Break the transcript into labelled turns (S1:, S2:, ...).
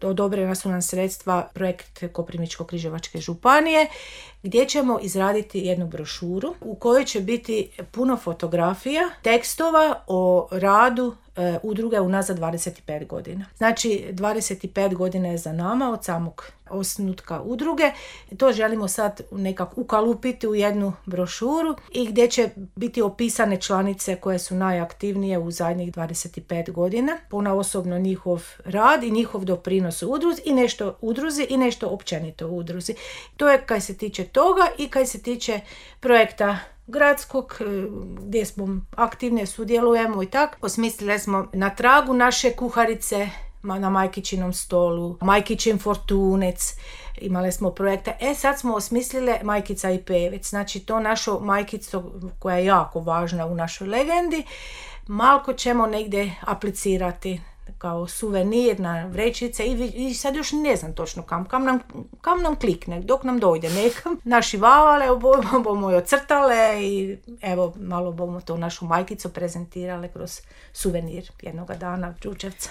S1: odobrena su nam sredstva projekt Koprivničko-križevačke županije, gdje ćemo izraditi jednu brošuru u kojoj će biti puno fotografija, tekstova o radu udruge unazad 25 godina. Znači 25 godina je za nama od samog osnutka udruge. To želimo sad nekako ukalupiti u jednu brošuru i gdje će biti opisane članice koje su najaktivnije u zadnjih 25 godina. Ponaosobno njihov rad i njihov doprinos u udruzi i nešto općenito u udruzi. To je kaj se tiče toga i kaj se tiče projekta gradskog, gdje smo aktivne, sudjelujemo i tako. Osmislili smo na tragu naše kuharice na Majkičinom stolu, Majkičin fortunec, imali smo projekte. Sad smo osmislile Majkica i pevec, znači to našo majkico koja je jako važna u našoj legendi, malko ćemo negdje aplicirati kao suvenir na vrećice i sad još ne znam točno kam nam klikne, dok nam dojde nekam. Našivavale, bomo je ocrtale i evo malo bomo to našu majkicu prezentirale kroz suvenir jednoga dana Đurđevca.